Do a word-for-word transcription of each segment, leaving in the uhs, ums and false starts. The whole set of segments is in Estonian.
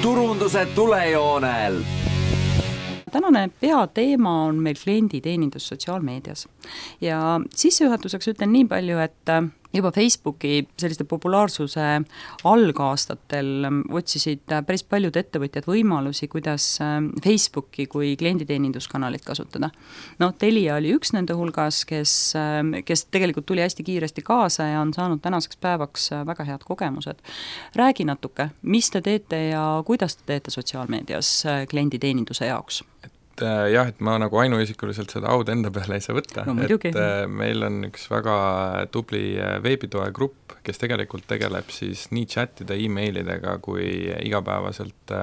turunduse tulejoonel. Tänane peateema on meil klienditeenindus sotsiaalmeedias ja sissejuhatuseks ütlen nii palju, et juba Facebooki selliste populaarsuse algaastatel otsisid päris paljud ettevõtjad võimalusi, kuidas Facebooki kui klienditeeninduskanalit kasutada. No, Telia oli üks nende hulgas, kes, kes tegelikult tuli hästi kiiresti kaasa ja on saanud tänaseks päevaks väga head kogemused. Räägi natuke, mis te teete ja kuidas te teete sotsiaalmeedias klienditeeninduse jaoks? Et jah, et ma nagu ainuisikuliselt seda aud enda peale ei saa võtta, no, et meil on üks väga tubli veebitoe grupp, kes tegelikult tegeleb siis nii chatide, e-mailidega kui igapäevaselt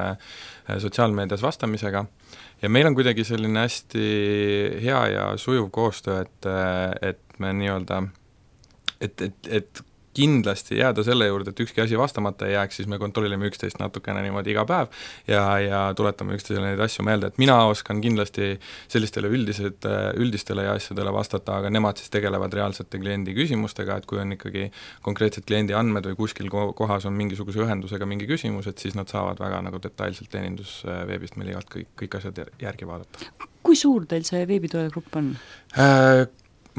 sotsiaalmeedias vastamisega ja meil on kuidagi selline hästi hea ja sujuv koostöö, et, et me nii-öelda et, et, et kindlasti jääda selle juurde, et ükski asi vastamata ei jääks, siis me kontrollime üksteist natukene niimoodi iga päev ja, ja tuletame üksteisele neid asju meelde, et mina oskan kindlasti sellistele üldised, üldistele ja asjadele vastata, aga nemad siis tegelevad reaalsete kliendi küsimustega, et kui on ikkagi konkreetsed kliendi andmed või kuskil kohas on mingisuguse ühendusega mingi küsimus, et siis nad saavad väga nagu detailselt teenindusveebist meil igalt kõik, kõik asjad järgi vaadata. Kui suur teil see veebitoe grupp on? Äh,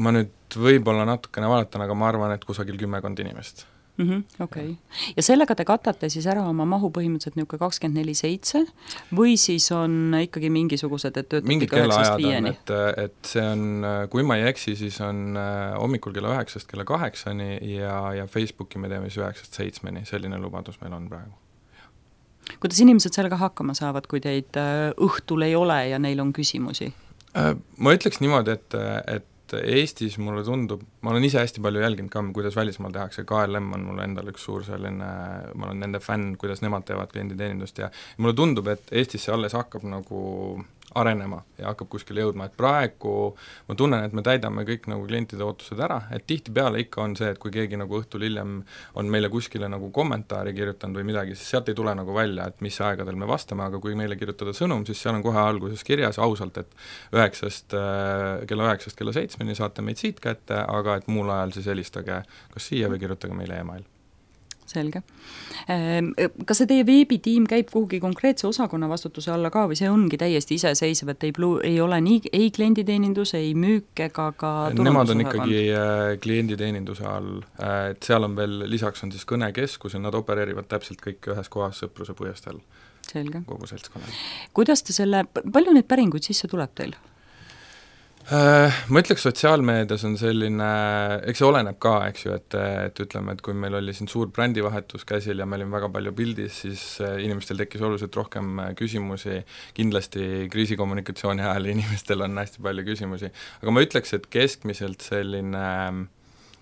ma nüüd võib-olla natukene vaadatan, aga ma arvan, et kusagil kümmekond inimest. Mm-hmm, okei. Okay. Ja sellega te katate siis ära oma mahu põhimõtteliselt niisugune kakskümmend neli seitse või siis on ikkagi mingisugused, et töötate mingid kellaajad on, et, et see on, kui ma ei eksi, siis on hommikul kella üheksast kella kaheksani ja, ja Facebooki me teeme siis üheksast seitsmeni, selline lubadus meil on praegu. Kuidas inimesed sellega hakkama saavad, kui teid õhtul ei ole ja neil on küsimusi? Ma ütleks niimoodi, et, et Eestis mulle tundub, ma olen ise hästi palju jälginud ka, kuidas välismaal tehakse, K L M on mulle endal üks suur selline, ma olen nende fänn, kuidas nemad teevad klienditeenindust ja mulle tundub, et Eestis see alles hakkab nagu arenema ja hakkab kuskile jõudma, et praegu ma tunnen, et me täidame kõik nagu klientide ootused ära, et tihtipeale ikka on see, et kui keegi nagu õhtul hiljem on meile kuskile nagu kommentaari kirjutanud või midagi, siis sealt ei tule nagu välja, et mis aegadel me vastame, aga kui meile kirjutada sõnum, siis seal on kohe alguses kirjas ausalt, et üheksast, kella üheksast kella seitsmeni saate meid siit kätte, aga et muul ajal siis helistage kas siia või kirjutage meile email. Selge. Kas see teie veebitiim käib kuhugi konkreetse osakonna vastutuse alla ka või see ongi täiesti iseseisev, et ei, plu, ei ole nii, ei klienditeenindus, ei müük ega ka Nemad on ikkagi klienditeeninduse all, et seal on veel, lisaks on siis kõnekeskus ja nad opereerivad täpselt kõik ühes kohas Sõpruse puiesteel. Selge. Kogu seltskonnal. Kuidas te selle, palju neid päringuid sisse tuleb teil? Ma ütleks, sotsiaalmeedias on selline, eks see oleneb ka, eks ju, et, et ütleme, et kui meil oli siin suur brändivahetus käsil ja me olime väga palju pildis, siis inimestel tekkis oluliselt rohkem küsimusi, kindlasti kriisikommunikatsiooni ajal inimestel on hästi palju küsimusi, aga ma ütleks, et keskmiselt selline,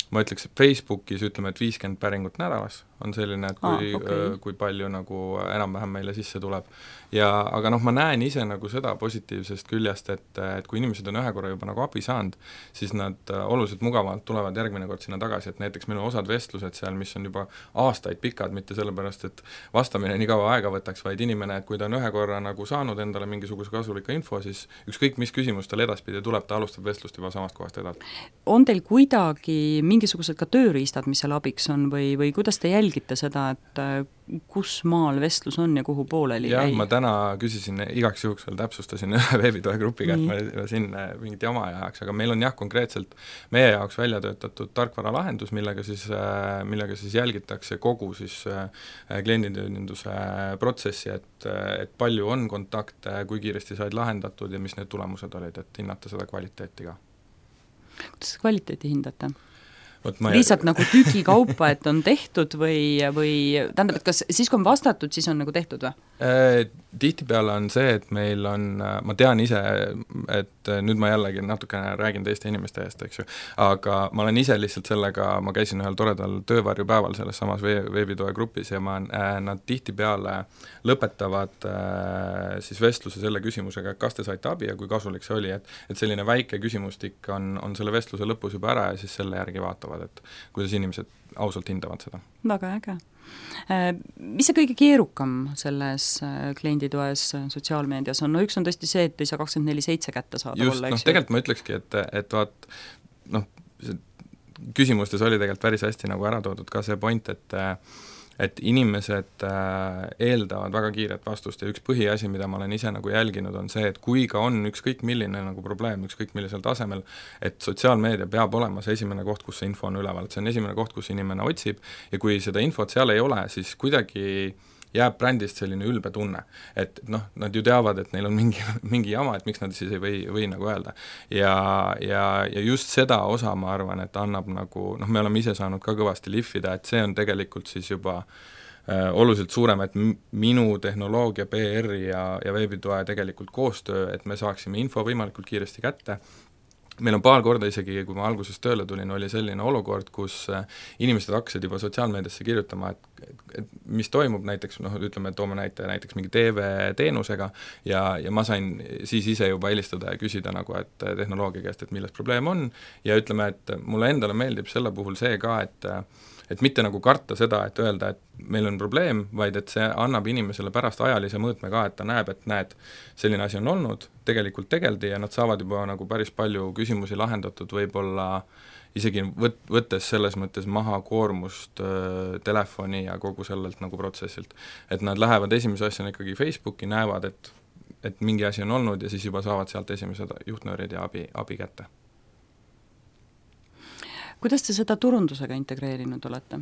ma ütleks, et Facebookis ütleme, et viiskümmend päringut nädalas on selline, et kui, ah, okay. kui palju nagu enam-vähem meile sisse tuleb. Ja, aga noh, ma näen ise nagu seda positiivsest küljest, et, et kui inimesed on ühe korra juba nagu abi saanud, siis nad oluliselt mugavalt tulevad järgmine kord sinna tagasi, et näiteks meil on osad vestlused seal, mis on juba aastaid pikad, mitte sellepärast, et vastamine nii kaua aega võtaks, vaid inimene, et kui ta on ühe korra nagu saanud endale mingisuguse kasulika info, siis ükskõik mis küsimus tal edaspidi tuleb, ta alustab vestlust juba samast kohast edasi. On teil kuidagi mingisugused ka tööriistad, mis seal abiks on või, või kuidas te jälgite seda, et kus maal vestlus on ja kuhu pooleli jah, ei? Ma täna küsisin, igaks juhuks veel täpsustasin ühe veebitoe grupiga, et ma siin mingit jama ei ajaks, aga meil on jah konkreetselt meie jaoks välja töötatud tarkvara lahendus, millega siis, millega siis jälgitakse kogu siis klienditeeninduse protsessi, et, et palju on kontakte, kui kiiresti said lahendatud ja mis need tulemused olid, et hinnata seda kvaliteeti ka. Kuidas kvaliteeti hindate? Ma lihtsalt nagu tüki kaupa, et on tehtud või, või tähendab, et kas siis kui on vastatud, siis on nagu tehtud või? Tihtipeale on see, et meil on, ma tean ise, et nüüd ma jällegi natukene räägin teiste inimeste eest, eks ju, aga ma olen ise lihtsalt sellega, ma käisin ühel toredal töövarjupäeval selles samas veebitoe grupis ja ma, nad tihtipeale lõpetavad siis vestluse selle küsimusega, kas te saite abi ja kui kasulik see oli, et, et selline väike küsimustik on, on selle vestluse lõpus juba ära ja siis selle järgi vaatavad, et kuidas inimesed ausalt hindavad seda. Väga äge. Mis see kõige keerukam selles klienditoes sotsiaalmeedias on? No üks on tõesti see, et ei saa kakskümmend neli seitse kätte saada. Just, noh, tegelikult ma ütlekski, et, et vaat, noh, küsimustes oli tegelikult päris hästi nagu ära toodud ka see point, et et inimesed äh, eeldavad väga kiiret vastust ja üks põhiasi, mida ma olen ise nagu jälginud, on see, et kui ka on ükskõik milline nagu probleem, ükskõik millisel tasemel, et sotsiaalmeedia peab olema see esimene koht, kus see info on üleval, et see on esimene koht, kus inimene otsib ja kui seda infot seal ei ole, siis kuidagi jääb brändist selline ülbe tunne, et noh, nad ju teavad, et neil on mingi, mingi jama, et miks nad siis ei või, või nagu öelda. Ja, ja, ja just seda osa ma arvan, et annab nagu, noh, me oleme ise saanud ka kõvasti lihvida, et see on tegelikult siis juba äh, oluliselt suurem, et m- minu tehnoloogia, P R ja, ja veebitoe tegelikult koostöö, et me saaksime info võimalikult kiiresti kätte. Meil on paar korda isegi, kui ma alguses tööle tulin, oli selline olukord, kus inimesed hakkasid juba sotsiaalmeediasse kirjutama, et, et mis toimub näiteks, noh, ütleme, toome näite näiteks mingi T V-teenusega ja, ja ma sain siis ise juba helistada ja küsida nagu, et tehnoloogia käest, et milles probleem on ja ütleme, et mulle endale meeldib selle puhul see ka, et et mitte nagu karta seda, et öelda, et meil on probleem, vaid et see annab inimesele pärast ajalise mõõtme ka, et ta näeb, et näed, selline asi on olnud, tegelikult tegeldi ja nad saavad juba nagu päris palju küsimusi lahendatud, võib-olla isegi võt-, võttes selles mõttes maha koormust äh, telefoni ja kogu sellelt nagu protsessilt. Et nad lähevad esimese asjana ikkagi Facebooki, näevad, et, et mingi asi on olnud ja siis juba saavad sealt esimesed juhtnöörid ja abi, abi kätte. Kuidas te seda turundusega integreerinud olete?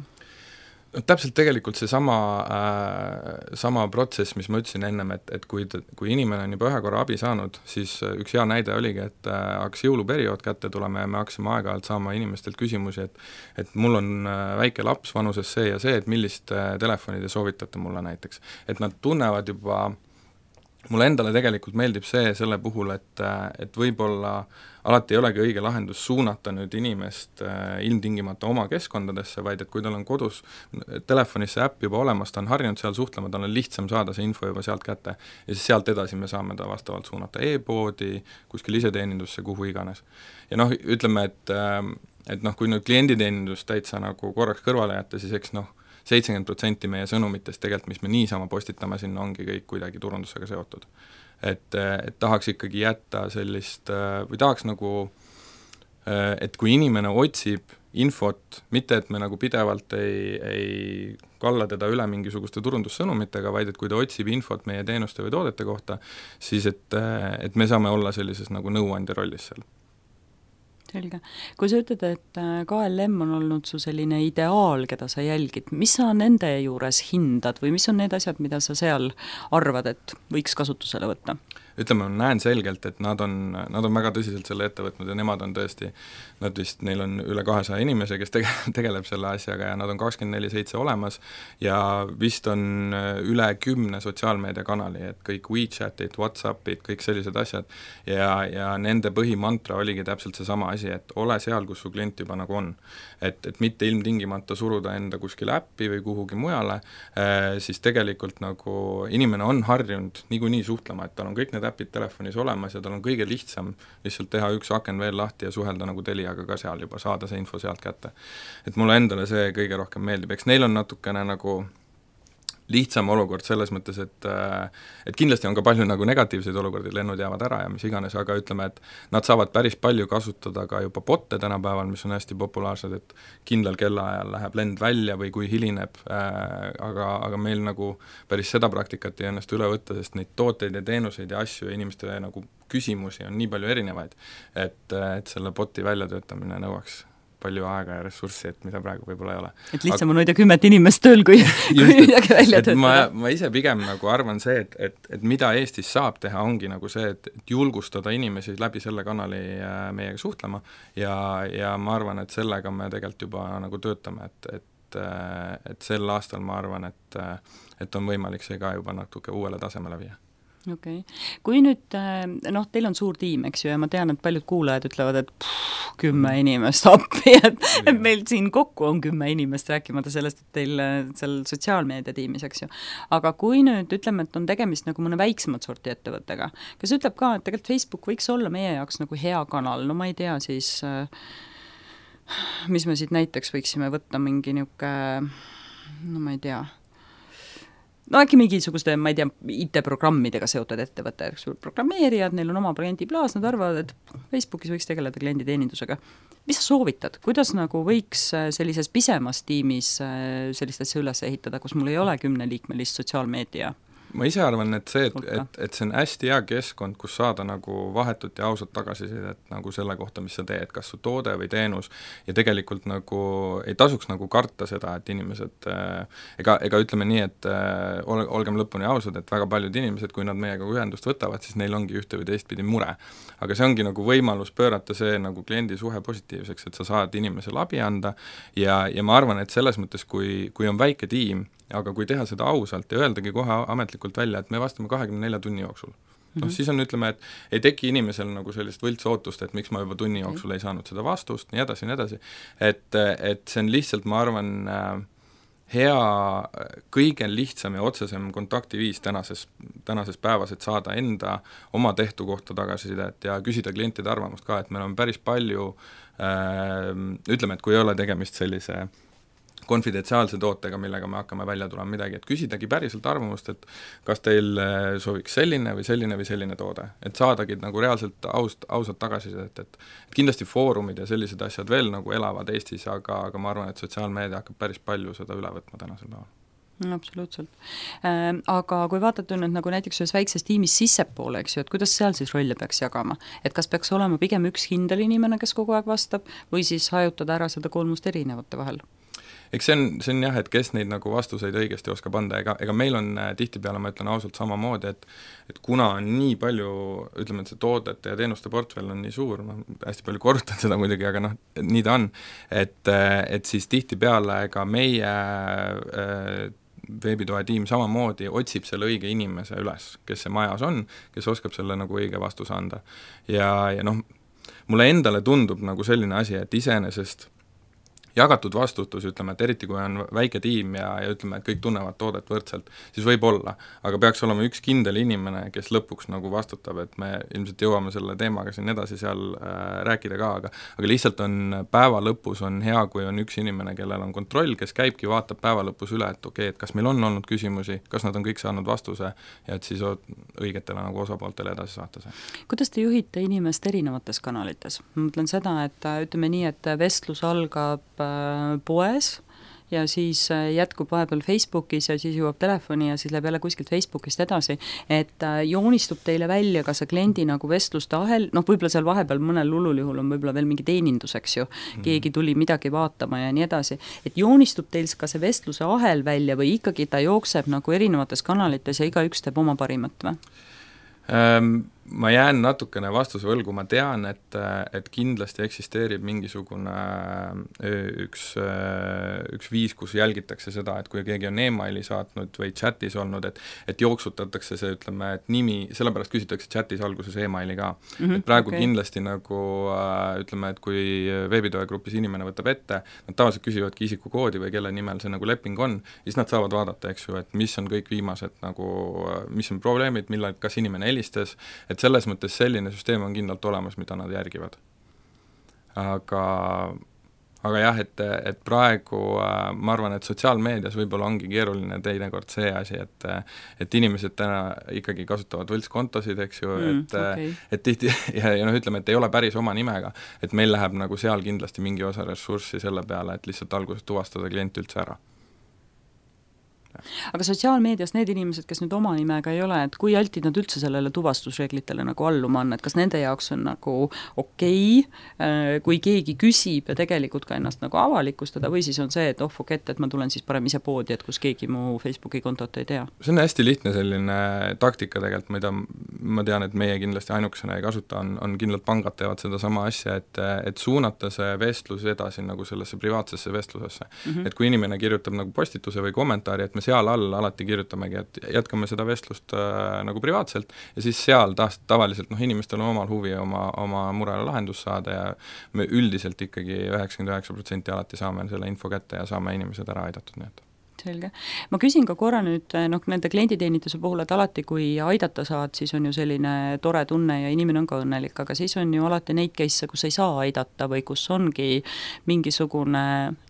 No, täpselt tegelikult see sama, äh, sama protsess, mis ma ütlesin ennem, et, et kui, kui inimene on juba ühe korra abi saanud, siis üks hea näide oligi, et äh, hakkas jõuluperiood kätte tulema ja me hakkasime aeg-ajalt saama inimestelt küsimusi, et et mul on äh, väike laps vanuses see ja see, et millist äh, telefoni te soovitate mulle näiteks. Et nad tunnevad juba, mulle endale tegelikult meeldib see selle puhul, et, et võib-olla alati ei olegi õige lahendus suunata nüüd inimest äh, ilmtingimata oma keskkondadesse, vaid et kui tal on kodus telefonis see äpp juba olemas, ta on harjunud seal suhtlema, tal on lihtsam saada see info juba sealt kätte ja siis sealt edasi me saame ta vastavalt suunata e-poodi, kuskil iseteenindusse, kuhu iganes. Ja noh, ütleme, et, äh, et noh, kui nüüd klienditeenindus täitsa nagu korraks kõrvale jätta, siis eks noh, seitsekümmend protsenti meie sõnumitest tegelikult, mis me niisama postitame sinna, ongi kõik kuidagi turundusega seotud. Et, et tahaks ikkagi jätta sellist, või tahaks nagu, et kui inimene otsib infot, mitte et me nagu pidevalt ei, ei kalla teda üle mingisuguste turundussõnumitega, vaid et kui ta otsib infot meie teenuste või toodete kohta, siis et, et me saame olla sellises nagu nõuandja rollis seal. Selge. Kui sa ütled, et K L M on olnud su selline ideaal, keda sa jälgid, mis sa nende juures hindad või mis on need asjad, mida sa seal arvad, et võiks kasutusele võtta? Ütleme, ma näen selgelt, et nad on, nad on väga tõsiselt selle ette võtnud ja nemad on tõesti, nad vist, neil on üle kahesaja inimese, kes tege, tegeleb selle asjaga ja nad on kakskümmend neli seitse olemas ja vist on üle kümne sotsiaalmeediakanali, et kõik WeChatid, Whatsappid, kõik sellised asjad ja, ja nende põhimantra oligi täpselt seesama asi, et ole seal, kus su klient juba nagu on. Et, et mitte ilmtingimata suruda enda kuskile äppi või kuhugi mujale, eh, siis tegelikult nagu inimene on harjunud niikuinii suhtlema, et tal on kõik need äpid telefonis olemas ja tal on kõige lihtsam lihtsalt teha üks aken veel lahti ja suhelda nagu Teliaga ka seal juba, saada see info sealt kätte. Et mulle endale see kõige rohkem meeldib, eks neil on natukene nagu lihtsam olukord selles mõttes, et et kindlasti on ka palju nagu negatiivseid olukordi, lennud jäävad ära ja mis iganes, aga ütleme, et nad saavad päris palju kasutada ka juba botte tänapäeval, mis on hästi populaarsed, et kindlal kellaajal läheb lend välja või kui hilineb, äh, aga, aga meil nagu päris seda praktikat ei õnnestu üle võtta, sest neid tooteid ja teenuseid ja asju ja inimeste nagu küsimusi on nii palju erinevaid, et, et selle boti väljatöötamine nõuaks palju aega ja ressurssi, et mida praegu võib-olla ei ole. Et lihtsam on hoida kümmet inimest tööl, kui, kui midagi välja töötada. Ma, ma ise pigem nagu arvan see, et, et, et mida Eestis saab teha, ongi nagu see, et, et julgustada inimesi läbi selle kanali meiega suhtlema ja, ja ma arvan, et sellega me tegelikult juba nagu töötame, et, et, et sel aastal ma arvan, et, et on võimalik see ka juba natuke uuele tasemele viia. Okei. Okay. Kui nüüd, noh, teil on suur tiim, eks ju, ja ma tean, et paljud kuulajad ütlevad, et pff, kümme inimest appi, et, et meil siin kokku on kümme inimest, rääkimata sellest, et teil seal sotsiaalmeedia tiimis, eks ju. Aga kui nüüd ütleme, et on tegemist nagu mõne väiksemat sorti ettevõttega, kes ütleb ka, et tegelikult Facebook võiks olla meie jaoks nagu hea kanal, no ma ei tea, siis mis me siit näiteks võiksime võtta mingi niuke, no ma ei tea, no äkki mingisuguste, ma ei tea, I T-programmidega seotud ettevõte, programmeerijad, neil on oma kliendiplaas, nad arvavad, et Facebookis võiks tegeleda klienditeenindusega. Mis sa soovitad, kuidas nagu võiks sellises pisemas tiimis sellist asja üles ehitada, kus mul ei ole kümneliikmelist sotsiaalmeedia? Ma ise arvan, et see, et, et, et see on hästi hea keskkond, kus saada nagu vahetut ja ausat tagasisidet nagu selle kohta, mis sa teed, kas su toode või teenus, ja tegelikult nagu ei tasuks nagu karta seda, et inimesed äh, ega, ega ütleme nii, et äh, ol, olgem lõpuni ausad, et väga paljud inimesed, kui nad meiega ühendust võtavad, siis neil ongi ühte või teistpidi mure. Aga see ongi nagu võimalus pöörata see nagu kliendi suhe positiivseks, et sa saad inimesele abi anda ja, ja ma arvan, et selles mõttes, kui, kui on väike tiim, aga kui teha seda ausalt ja öeldagi kohe ametlikult välja, et me vastame kahekümne nelja tunni jooksul. Mm-hmm. No siis on, ütleme, et ei teki inimesel nagu sellist võltsootust, et miks ma juba tunni jooksul ei saanud seda vastust, nii edasi, nii edasi. Et, et see on lihtsalt, ma arvan, hea, kõige lihtsam ja otsesem kontaktiviis tänases, tänases päevas, et saada enda oma tehtu kohta tagasisidet ja küsida klientide arvamust ka, et meil on päris palju, äh, ütleme, et kui ei ole tegemist sellise konfidentsiaalse tootega, millega me hakkame välja tulema midagi, et küsidagi päriselt arvamust, et kas teil sooviks selline või selline või selline toode, et saadagi nagu reaalselt aust, ausalt tagasisidet, et, et kindlasti foorumid ja sellised asjad veel nagu elavad Eestis, aga, aga ma arvan, et sotsiaalmeedia hakkab päris palju seda üle võtma tänasel päeval. No, absoluutselt. Äh, aga kui vaatate nüüd nagu näiteks ühes väikses tiimis sissepoole, eks ju, et kuidas seal siis rolle peaks jagama? Et kas peaks olema pigem üks kindel inimene, kes kogu aeg vastab, või siis hajutada ära seda kolmust erinevate vahel? Eks see on, see on jah, et kes neid nagu vastuseid õigesti oskab anda, ega, ega meil on tihtipeale, ma ütlen ausalt samamoodi, et, et kuna on nii palju, ütleme, et see toodete ja teenuste portfell on nii suur, ma hästi palju korrutan seda muidugi, aga noh, nii ta on, et, et siis tihtipeale ega meie äh, veebitoe tiim samamoodi otsib selle õige inimese üles, kes see majas on, kes oskab selle nagu õige vastuse anda. Ja, ja noh, mulle endale tundub nagu selline asi, et iseenesest jagatud vastutus, ütleme, et eriti kui on väike tiim ja, ja ütleme, et kõik tunnevad toodet võrdselt, siis võib olla, aga peaks olema üks kindel inimene, kes lõpuks nagu vastutab, et me ilmselt jõuame selle teemaga siin edasi seal äh, rääkida ka, aga, aga lihtsalt on päeva lõpus on hea, kui on üks inimene, kellel on kontroll, kes käibki, vaatab päeva lõpus üle, et okei, et kas meil on olnud küsimusi, kas nad on kõik saanud vastuse ja et siis õigetele nagu osapooltele edasi saata see. Kuidas te juhite inimest erinevates kanalites? Ma mõtlen seda, et ütleme nii, et vestlus algab poes ja siis jätkub vahepeal Facebookis ja siis jõuab telefoni ja siis läheb jälle kuskilt Facebookist edasi, et joonistub teile välja ka see kliendi nagu vestluste ahel, noh võib-olla seal vahepeal mõnel hullul juhul on võib-olla veel mingi teenindus, eks ju, keegi tuli midagi vaatama ja nii edasi, et joonistub teil ka see vestluse ahel välja või ikkagi ta jookseb nagu erinevates kanalites ja igaüks teeb oma parimat või? Um, ma jään natukene vastuse võlgu, ma tean, et, et kindlasti eksisteerib mingisugune üks, üks viis, kus jälgitakse seda, et kui keegi on emaili saatnud või chatis olnud, et, et jooksutatakse see, ütleme, et nimi, sellepärast küsitakse chatis alguses emaili ka. Mm-hmm, et praegu okay. Kindlasti nagu ütleme, et kui veebitoe grupis inimene võtab ette, nad tavaliselt küsivadki isikukoodi või kelle nimel see nagu leping on, siis nad saavad vaadata, eks ju, et mis on kõik viimased nagu, mis on probleemid, millal, kas inimene helistas, et selles mõttes selline süsteem on kindlalt olemas, mida nad järgivad. Aga, aga jah, et, et praegu ma arvan, et sotsiaalmeedias võib-olla ongi keeruline teinekord see asi, et, et inimesed täna ikkagi kasutavad võltskontosid, eks ju, mm, et, okay. et tihti, ja, ja noh, ütleme, et ei ole päris oma nimega, et meil läheb nagu seal kindlasti mingi osa ressurssi selle peale, et lihtsalt alguses tuvastada klient üldse ära. Aga sotsiaalmeedias need inimesed, kes nüüd oma nimega ei ole, et kui altid nad üldse sellele tuvastusreeglitele nagu alluma on, et kas nende jaoks on nagu okei, okay, kui keegi küsib ja tegelikult ka ennast nagu avalikustada või siis on see, et oh, forget, et ma tulen siis parem ise poodi, et kus keegi mu Facebooki kontot ei tea? See on hästi lihtne selline taktika tegelikult, mida ma tean, et meie kindlasti ainukesena ei kasuta, on, on kindlalt pangad teevad seda sama asja, et, et suunata see vestlus edasi nagu sellesse privaatsesse vestlusesse. Mm-hmm. Et kui inimene kirjutab nagu postituse või kommentaari, et me seal all alati kirjutamegi, et jätkame seda vestlust äh, nagu privaatselt ja siis seal ta- tavaliselt noh, inimestel on omal huvi oma, oma murele lahendus saada ja me üldiselt ikkagi üheksakümmend üheksa protsenti alati saame selle info kätte ja saame inimesed ära aidatud, nii et selge. Ma küsin ka korra nüüd noh, nende klienditeeninduse puhul, et alati kui aidata saad, siis on ju selline tore tunne ja inimene on ka õnnelik, aga siis on ju alati neid case'e, kus ei saa aidata või kus ongi mingisugune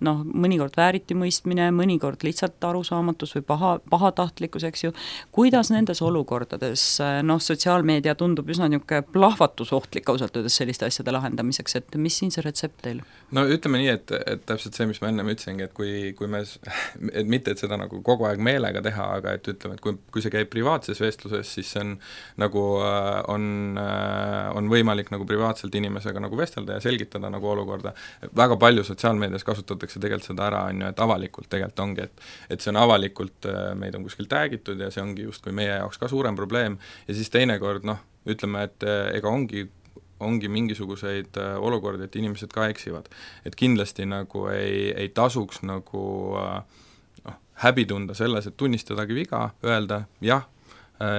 noh, mõnikord vääritimõistmine, mõnikord lihtsalt arusaamatus või paha, pahatahtlikkus, eks ju. Kuidas nendes olukordades, noh, sotsiaalmeedia tundub üsna niisugune plahvatusohtlik ausalt öeldes selliste asjade lahendamiseks, et mis siin see retsept teil? No ütleme nii, et, et täpselt see, mis ma enne ütlesingi, et kui, kui me et mitte, et seda nagu kogu aeg meelega teha, aga et ütleme, et kui, kui see käib privaatses vestluses, siis see on nagu on, on võimalik nagu privaatselt inimesega nagu vestelda ja selgitada nagu olukorda. Väga palju sotsiaalmeedias kasutatakse tegelikult seda ära, on ju, et avalikult tegelikult ongi, et, et see on avalikult, meid on kuskil täägitud ja see ongi just kui meie jaoks ka suurem probleem ja siis teinekord noh, ütleme, et ega ongi ongi mingisuguseid olukordi, et inimesed ka eksivad. Et kindlasti nagu ei, ei tasuks nagu noh, häbi tunda selles, et tunnistadagi viga, öelda jah,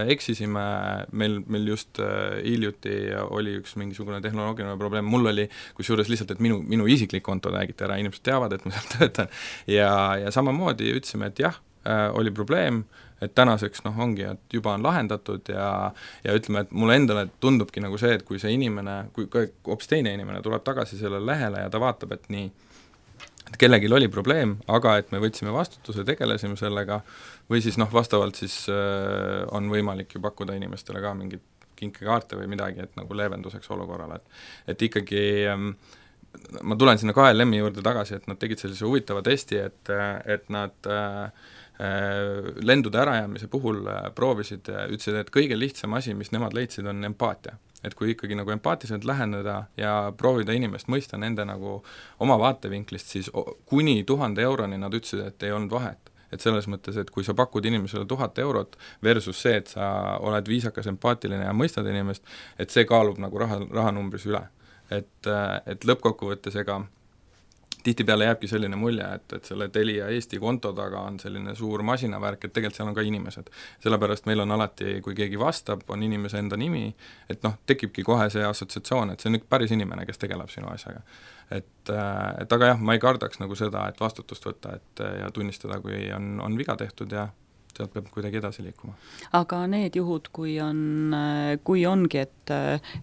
eksisime, meil, meil just hiljuti oli üks mingisugune tehnoloogiline probleem, mul oli kusjuures lihtsalt, et minu, minu isiklik konto räägiti ära, inimesed teavad, et ma seal töötan ja, ja samamoodi ütlesime, et jah, oli probleem, et tänaseks noh, ongi, et juba on lahendatud ja, ja ütleme, et mulle endale tundubki nagu see, et kui see inimene, kui hoopis teine inimene tuleb tagasi sellele lehele ja ta vaatab, et nii, et kellelgi oli probleem, aga et me võtsime vastutuse, tegelesime sellega, või siis noh, vastavalt siis äh, on võimalik ju pakkuda inimestele ka mingit kinkekaarte või midagi, et nagu leevenduseks olukorrale, et, et ikkagi ähm, ma tulen sinna K L M-i juurde tagasi, et nad tegid sellise huvitava testi, et, et nad äh, lendude ärajäämise puhul proovisid, ütlesid, et kõige lihtsam asi, mis nemad leidsid, on empaatia. Et kui ikkagi nagu empaatiliselt läheneda ja proovida inimest mõista nende nagu oma vaatevinklist, siis kuni tuhande euroni nad ütlesid, et ei olnud vahet. Et selles mõttes, et kui sa pakud inimesele tuhat eurot versus see, et sa oled viisakas, empaatiline ja mõistad inimest, et see kaalub nagu raha, rahanumbris üle. Et, et lõppkokkuvõttes ega tihtipeale jääbki selline mulje, et, et selle Telia Eesti konto taga on selline suur masinavärk, et tegelikult seal on ka inimesed. Sellepärast meil on alati, kui keegi vastab, on inimese enda nimi, et noh, tekibki kohe see assotsiatsioon, et see on üks päris inimene, kes tegeleb sinu asjaga. Et, et aga jah, ma ei kardaks nagu seda, et vastutust võtta et, ja tunnistada, kui on, on viga tehtud ja sealt peab kuidagi edasi liikuma. Aga need juhud, kui on, kui ongi, et,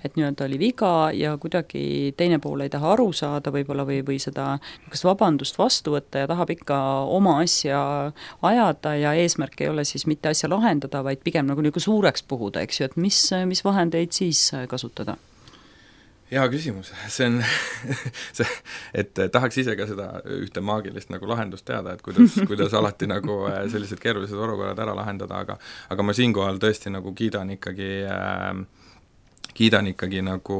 et nii-öelda oli viga ja kuidagi teine pool ei taha aru saada võib-olla või, või seda kas vabandust vastu võtta ja tahab ikka oma asja ajada ja eesmärk ei ole siis mitte asja lahendada, vaid pigem nagu, nagu suureks puhuda, eks ju, et mis, mis vahendeid siis kasutada? Hea küsimus, see on see, et tahaks ise ka seda ühte maagilist nagu lahendust teada, et kuidas, kuidas alati nagu sellised keerulised olukorrad ära lahendada, aga aga ma siinkohal tõesti nagu kiidan ikkagi äh, kiidan ikkagi nagu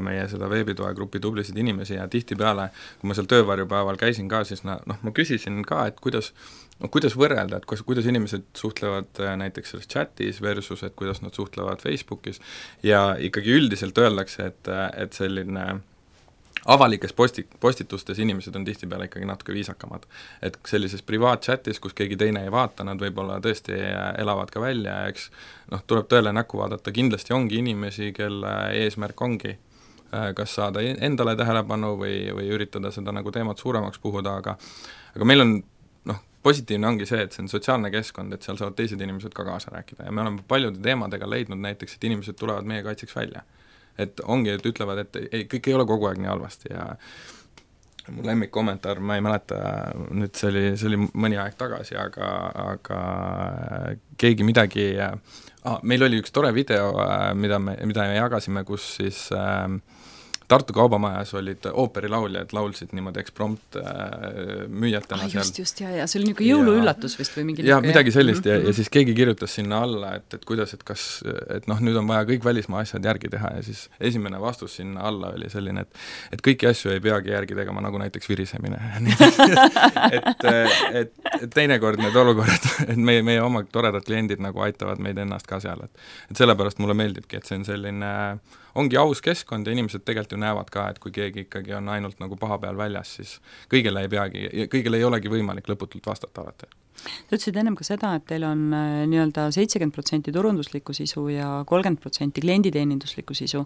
meie seda veebitoe grupi tublisid inimesi ja tihtipeale, kui ma seal töövarjupäeval käisin ka, siis noh, ma küsisin ka, et kuidas no kuidas võrrelda, et kus, kuidas inimesed suhtlevad näiteks selles chatis versus, et kuidas nad suhtlevad Facebookis ja ikkagi üldiselt öeldakse, et, et selline avalikes posti, postitustes inimesed on tihtipeale ikkagi natuke viisakamad. Et sellises privaatchatis, kus keegi teine ei vaata, nad võib-olla tõesti elavad ka välja, eks noh, tuleb tõele näkku vaadata, kindlasti ongi inimesi, kelle eesmärk ongi kas saada endale tähelepanu või, või üritada seda nagu teemat suuremaks puhuda, aga, aga meil on positiivne ongi see, et see on sotsiaalne keskkond, et seal saavad teised inimesed ka kaasa rääkida ja me oleme paljude teemadega leidnud näiteks, et inimesed tulevad meie kaitseks välja. Et ongi, et ütlevad, et ei, kõik ei ole kogu aeg nii halvasti ja mu lemmik kommentaar, ma ei mäleta, nüüd see oli, see oli mõni aeg tagasi, aga, aga keegi midagi, ah, meil oli üks tore video, mida me, mida me jagasime, kus siis äh, Tartu kaubamajas olid ooperilauljad, laulsid niimoodi eksprompt äh, müüjatena ah, seal. Just, just, ja, ja see oli niisugune jõuluüllatus vist või mingi ja midagi sellist ja, ja siis keegi kirjutas sinna alla, et, et kuidas, et kas, et noh, nüüd on vaja kõik välismaa asjad järgi teha ja siis esimene vastus sinna alla oli selline, et, et kõiki asju ei peagi järgi tegema, nagu näiteks virisemine. et, et, et teinekord need olukorrad, et meie, meie oma toredad kliendid nagu aitavad meid ennast ka seal, et, et sellepärast mulle meeldibki, et see on selline ongi aus keskkond ja inimesed tegelikult ju näevad ka, et kui keegi ikkagi on ainult nagu paha peal väljas, siis kõigele ei peagi, kõigele ei olegi võimalik lõputult vastata alati. Sa ütlesid ennem ka seda, et teil on nii-öelda seitsekümmend protsenti turunduslikku sisu ja kolmkümmend protsenti klienditeeninduslikku sisu,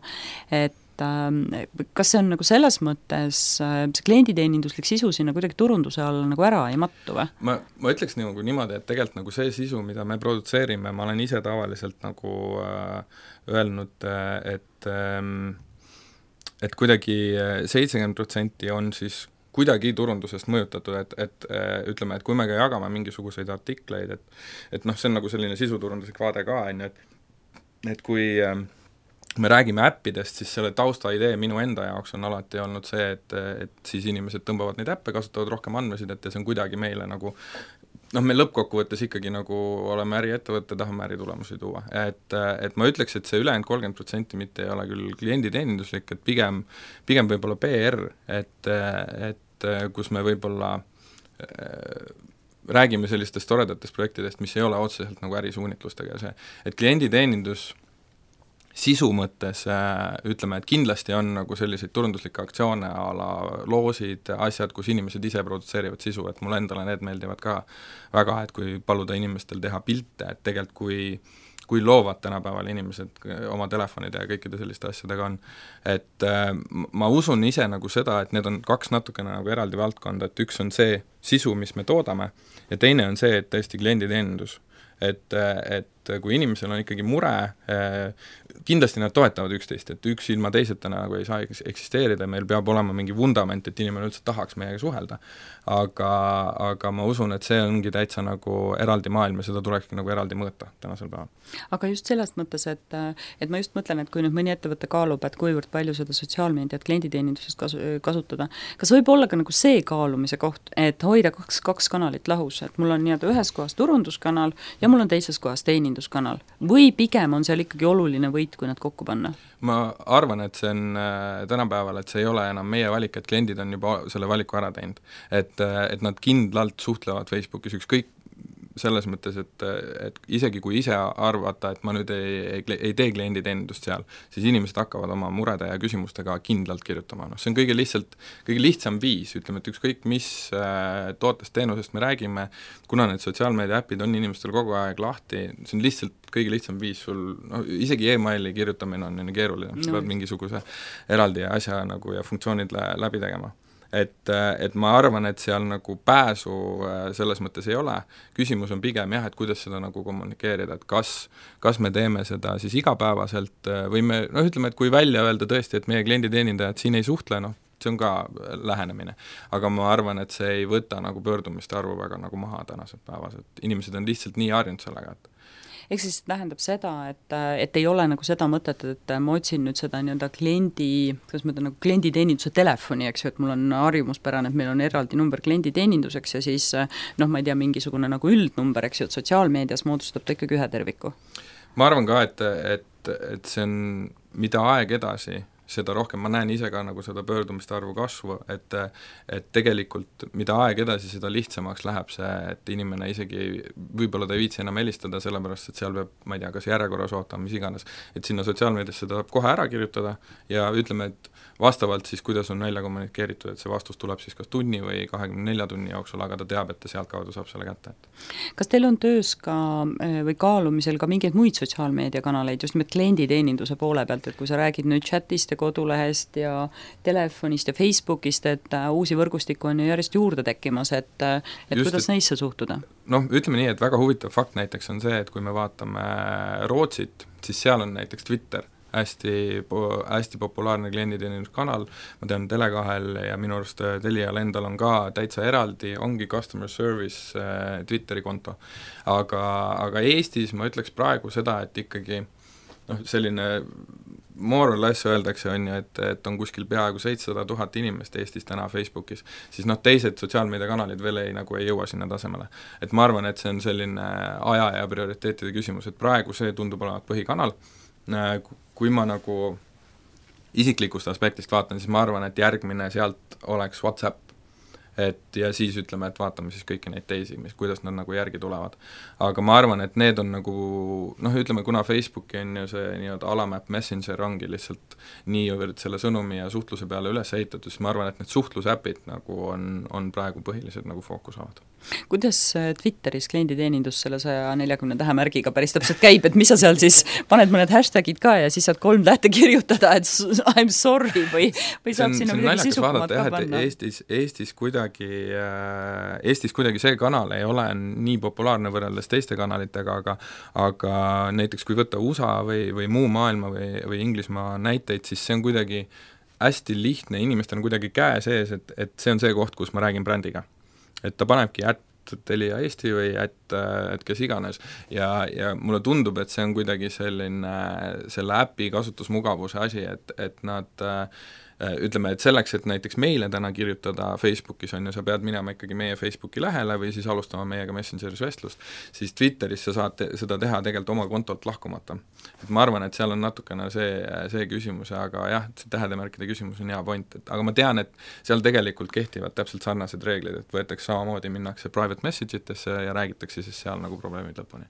et et äh, kas see on nagu selles mõttes äh, see klienditeeninduslik sisu sinna kuidagi turunduse alla nagu ära ei mattu või? ma, ma ütleks nagu niimoodi, et tegelikult nagu see sisu, mida me produtseerime, ma olen ise tavaliselt nagu äh, öelnud, et ähm, et kuidagi seitsekümmend protsenti on siis kuidagi turundusest mõjutatud, et, et ütleme, et kui me ka jagame mingisuguseid artikleid, et et noh, see on nagu selline sisuturunduslik vaade ka, on ju, et et kui me räägime äppidest, siis selle tausta idee minu enda jaoks on alati olnud see, et, et siis inimesed tõmbavad neid äppe, kasutavad rohkem andmesidet ja see on kuidagi meile nagu noh, me lõppkokkuvõttes ikkagi nagu oleme äriettevõtte, tahame äritulemusi tuua. Et, et ma ütleks, et see ülejäänud kolmkümmend protsenti mitte ei ole küll klienditeeninduslik, et pigem, pigem võib-olla P R, et, et kus me võib-olla äh, räägime sellistest toredatest projektidest, mis ei ole otseselt nagu ärisuunitlustega see, et klienditeenindus sisu mõttes äh, ütleme, et kindlasti on nagu selliseid turunduslikke aktsioone a la loosid, asjad, kus inimesed ise produtseerivad sisu, et mulle endale need meeldivad ka väga, et kui paluda inimestel teha pilte, et tegelikult kui kui loovad tänapäeval inimesed oma telefonide ja kõikide selliste asjadega on, et äh, ma usun ise nagu seda, et need on kaks natukene nagu eraldi valdkonda, et üks on see sisu, mis me toodame, ja teine on see, et tõesti klienditeenindus. Et, et kui inimesel on ikkagi mure, kindlasti nad toetavad üksteist, et üks ilma teiseta nagu ei saa eksisteerida, meil peab olema mingi vundament, et inimene üldse tahaks meiega suhelda. Aga, aga ma usun, et see ongi täitsa nagu eraldi maailm ja seda tulekski nagu eraldi mõõta tänasel päeval. Aga just sellest mõttes, et, et ma just mõtlen, et kui nüüd mõni ettevõte kaalub, et kuivõrd palju seda sotsiaalmeediat klienditeenindusest kasu, kasutada, kas võib olla ka nagu see kaalumise koht, et hoida kaks, kaks kanalit lahus, et mul on nii-öelda ühes kohas turunduskanal ja mul on teises kohas teeninduskanal. Või pigem on seal ikkagi oluline võit, kui nad kokku panna? Ma arvan, et see on äh, tänapäeval, et see ei ole enam meie valik, et kliendid on juba selle valiku ära teinud. Et, et nad kindlalt suhtlevad Facebookis ükskõik selles mõttes, et, et isegi kui ise arvata, et ma nüüd ei, ei, ei tee klienditeenindust seal, siis inimesed hakkavad oma murede ja küsimustega kindlalt kirjutama. No, see on kõige lihtsalt, kõige lihtsam viis, ütleme, et ükskõik mis äh, tootest teenusest me räägime, kuna need sotsiaalmeedia äpid on inimestel kogu aeg lahti, see on lihtsalt kõige lihtsam viis sul, no isegi e-maili kirjutamine on nii keeruline, sa no. pead mingisuguse eraldi asja nagu ja funktsioonid läbi tegema. Et, et ma arvan, et seal nagu pääsu selles mõttes ei ole, küsimus on pigem jah, et kuidas seda nagu kommunikeerida, et kas, kas me teeme seda siis igapäevaselt või me, noh ütleme, et kui välja öelda tõesti, et meie klienditeenindajad siin ei suhtle, noh, see on ka lähenemine. Aga ma arvan, et see ei võta nagu pöördumiste arvu väga nagu maha tänased päevas, et inimesed on lihtsalt nii harjunud sellega, et ehk siis tähendab seda, et, et ei ole nagu seda mõtet, et ma otsin nüüd seda nii-öelda kliendi, kuidas ma ütlen, nagu klienditeeninduse telefoni, eks ju, et mul on harjumuspärane, et meil on eraldi number klienditeeninduseks ja siis noh, ma ei tea, mingisugune nagu üldnumber, eks ju, et sotsiaalmeedias moodustab ta ikkagi ühe terviku. Ma arvan ka, et, et, et see on, mida aeg edasi, seda rohkem, ma näen ise ka nagu seda pöördumiste arvu kasvu, et, et tegelikult mida aeg edasi, seda lihtsamaks läheb see, et inimene isegi võib-olla ta ei viitsi enam helistada, sellepärast et seal peab, ma ei tea, kas järjekorras ootama, mis iganes, et sinna sotsiaalmeediasse ta saab kohe ära kirjutada ja ütleme, et vastavalt siis, kuidas on välja kommunikeeritud, et see vastus tuleb siis kas tunni või kahekümne nelja tunni jooksul, aga ta teab, et ta sealt kaudu saab selle kätte. Kas teil on töös ka või kaalumisel ka mingeid muid sotsiaalmeediakanaleid, just nimelt klienditeeninduse poole pealt, et kui sa räägid nüüd chatist ja kodulehest ja telefonist ja Facebookist, et uusi võrgustikku on ju järjest juurde tekkimas, et, et just, kuidas et, neisse suhtuda? Noh, ütleme nii, et väga huvitav fakt näiteks on see, et kui me vaatame Rootsit, siis seal on näiteks Twitter, hästi, hästi populaarne klienditeeninduskanal, ma tean Telekahel ja minu arust Telial endal on ka täitsa eraldi, ongi customer service äh, Twitteri konto. Aga, aga Eestis ma ütleks praegu seda, et ikkagi noh, selline more or less öeldakse, on ju, et, et on kuskil peaaegu seitsesada tuhat inimest Eestis täna Facebookis, siis noh, teised sotsiaalmeediakanalid veel ei, nagu ei jõua sinna tasemele. Et ma arvan, et see on selline aja ja prioriteetide küsimus, et praegu see tundub olevat põhikanal, kui ma nagu isiklikust aspektist vaatan, siis ma arvan, et järgmine sealt oleks WhatsApp, et ja siis ütleme, et vaatame siis kõiki neid teisi, mis, kuidas nad nagu järgi tulevad. Aga ma arvan, et need on nagu, noh ütleme, kuna Facebooki on ju see nii-öelda alamäpp Messenger ongi lihtsalt niivõrd selle sõnumi ja suhtluse peale üles ehitatud, siis ma arvan, et need suhtlusäpid nagu on, on praegu põhilised nagu fookus saavad. kuidas Twitteris klienditeenindus selle saja neljakümne tähemärgiga päris täpselt käib, et mis sa seal siis paned mõned hashtagid ka ja siis saad kolm tähte kirjutada, et I'm sorry või, või saab on, sinna midagi sisukumat ka panna? Eestis, Eestis, kuidagi, Eestis kuidagi see kanal ei ole nii populaarne võrreldes teiste kanalitega, aga aga näiteks kui võtta U S A või, või muu maailma või, või Inglismaa näiteid, siis see on kuidagi hästi lihtne, inimestel on kuidagi käe sees, et, et see on see koht, kus ma räägin brändiga. Et ta panebki ätt Telia Eesti või ätt, et kes iganes ja, ja mulle tundub, et see on kuidagi selline selle äpi kasutusmugavuse asi, et, et nad ütleme, et selleks, et näiteks meile täna kirjutada Facebookis on ju, sa pead minema ikkagi meie Facebooki lähele või siis alustama meiega Messengeris vestlust, siis Twitteris sa saad te, seda teha tegelikult oma kontolt lahkumata. Et ma arvan, et seal on natukene see, see küsimus, aga jah, see tähedemärkide küsimus on hea point, et aga ma tean, et seal tegelikult kehtivad täpselt sarnased reeglid, et võetakse samamoodi, minnakse private message itesse ja räägitakse siis seal nagu probleemid lõpuni.